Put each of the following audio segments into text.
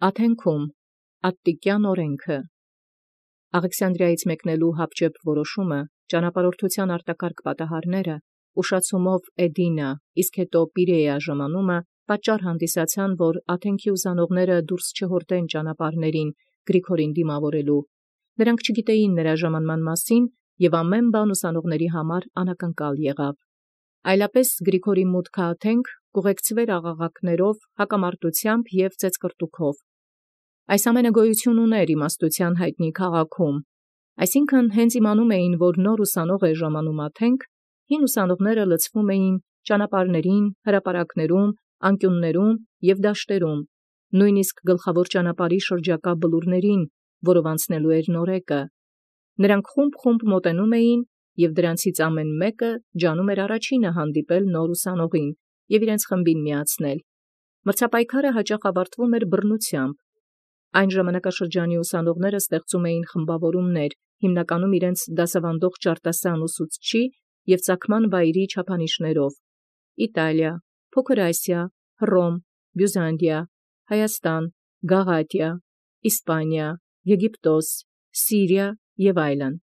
Աթենքում Ատտիկյան օրենքը Աղեքսանդրիայից մեկնելու հապճեպ որոշումը ճանապարհորդութեան արտակարգ պատահարները ուշացումով Էդինա, իսկ հետո Պիրեա ժամանումը պատճառ հանդիսացան, որ Աթենքի ուսանողները դուրս չհորդեն ճանապարհներին Գրիգորին դիմավորելու։ Նրանք չգիտեին նրա ժամանման մասին, եւ ամեն բան ուսանողների համար անակնկալ եղավ։ Այլապես Գրիգորի մուտքը Աթենք կուղեկցվեր աղաղակներով, հակամարտությամբ եւ ծեծկռտուքով։ Այս ամենը գոյություն ուներ իմաստութեան հայտնի քաղաքում, այսինքն հենց իմանում էին, որ նոր ուսանող է ժամանում Աթենք, հին ուսանողները լցվում էին ճանապարհներին, հրապարակներում, անկյուններում եւ դաշտերում, նույնիսկ գլխավոր ճանապարհի շրջակա բլուրներին, որով անցնելու էր նորեկը։ Նրանք խումբ մոտենում էին, եւ դրանցից ամեն մեկը ջանում էր առաջինը հանդիպել նոր ուսանողին եւ իրենց խմբին միացնել։ Մրցապայքարը հաճախ ավարտվում էր բռնությամբ։ Այն ժամանակաշրջանի ուսանողները ստեղծում էին խմբավորումներ, հիմնականում իրենց դասավանդող ճարտասան ուսուցչի եւ ծագման վայրի չափանիշներով. Իտալիա, Փոքր Ասիա, Հռոմ, Բյուզանդիա, Հայաստան, Գաղատիա, Իսպանիա, Եգիպտոս, Սիրիա եւ այլն։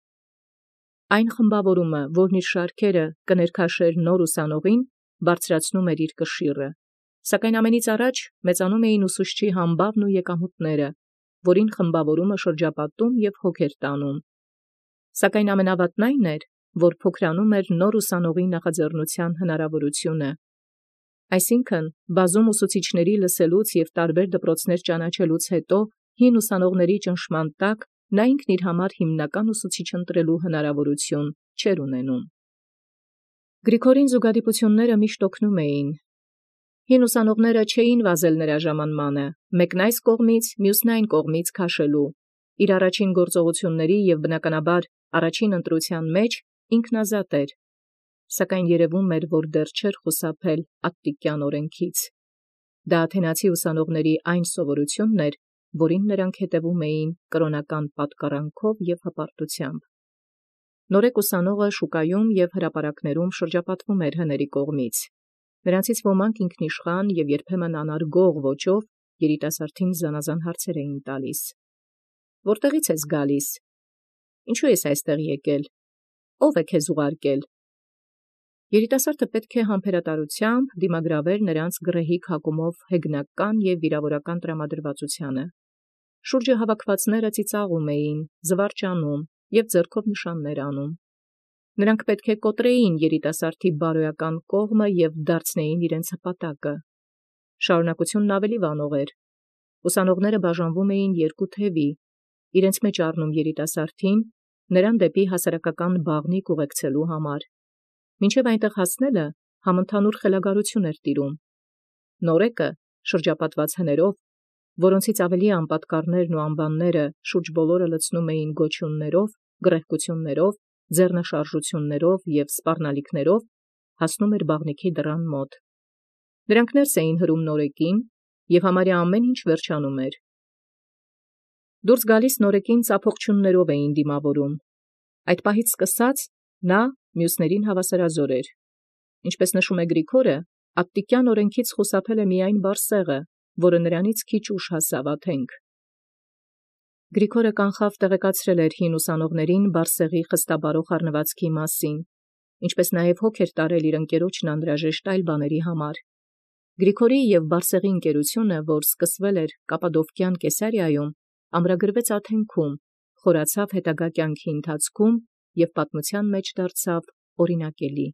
Այն խմբավորումը, որն իր շարքերը կներքաշեր նոր ուսանողին, բարձրացնում էր իր կշիռը, սակայն ամենից առաջ մեծանում էին ուսուցչի համբավն ու եկամուտները, որին խմբավորումը շրջապատում եւ հոգ էր տանում։ Սակայն ամենավատն այն էր, որ փոքրանում էր նոր ուսանողի նախաձեռնության հնարավորությունը։ Այսինքն, բազում ուսուցիչների լսելուց եւ տարբեր դպրոցներ ճանաչելուց հետո հին ուսանողների ճնշման տակ նա ինքն իր համար հիմնական ուսուցիչ ընտրելու հնարավորություն չէր ունենում։ Գրիգորին զուգադիպությունները միշտ օգնում էին։ Հին ուսանողները չէին վազել նրա ժամանմանը, մեկն այս կողմից, մյուսն այն կողմից քաշելու։ Իր առաջին գործողությունների եւ բնականաբար առաջին ընտրության մեջ ինքնազատ էր, սակայն երևում էր, որ դեռ չէր խուսափել Ատտիկյան օրենքից։ Դա աթենացի ուսանողների այն սովորությունն էր, որին նրանք հետևում էին կրոնական պատկառանքով եւ հպարտությամբ։ Նորեկ ուսանողը շուկայում եւ հրապարակներում շրջապատվում էր հների կողմից։ Նրանցից ոմանք ինքնիշխան եւ երբեմն անարգող ոճով երիտասարդին զանազան հարցեր էին տալիս. «Որտեղից ես գալիս։ Ինչու ես այստեղ եկել։ Ո՞վ է քեզ ուղարկել»։ Երիտասարդը պետք է համբերատարությամբ դիմագրաver նրանց գռեհիկ հակումով հեգնական եւ վիրավորական տրամադրվածությանը։ Շուրջը հավաքվածները ծիծաղում էին, զվարճանում եւ ձեռքով նշաններ անում։ Նրանք պետք է կոտրեին երիտասարդի բարոյական կողմը եւ դարձնեին իրենց հպատակը։ Շարունակությունն ավելի վանող էր։ Ուսանողները բաժանվում էին երկու թևի, իրենց մեջ առնում երիտասարդին, նրան դեպի հասարակական բաղնիք ուղեկցելու համար։ Մինչև այնտեղ հասնելը համընդհանուր խելագարություն էր տիրում։ Նորեկը, շրջապատված հներով, որոնցից ավելի անպատկառներն ու անբանները շուրջ բոլորը լցնում էին գոչյուններով, գռեհկություններով, ձեռնաշարժություններով եւ սպառնալիքներով, հասնում էր բաղնիքի դռան մոտ։ Նրանք ներս էին հրում նորեկին, եւ համարյա ամեն ինչ վերջանում էր։ Դուրս գալիս նորեկին ծափողջուններով էին դիմավորում։ Այդ պահից սկսած նա մյուսներին հավասարազոր էր։ Ինչպես նշում է Գրիգորը, Ատտիկյան օրենքից խուսափել է միայն Բարսեղը, որը նրանից քիչ ուշ հասավ Աթենք։ Գրիգորը կանխավ տեղեկացրել էր հին ուսանողներին Բարսեղի խստաբարո խառնվածքի մասին, ինչպես նաև հոգ էր տարել իր ընկերոջն անհրաժեշտ այլ բաների համար։ Գրիգորի եւ Բարսեղի ընկերությունը, որ սկսվել էր Կապադովկյան Կեսարիայում, ամրագրվեց Աթենքում, խորացավ հետագա կյանքի ընթացքում եւ պատմության մեջ դարձավ օրինակելի։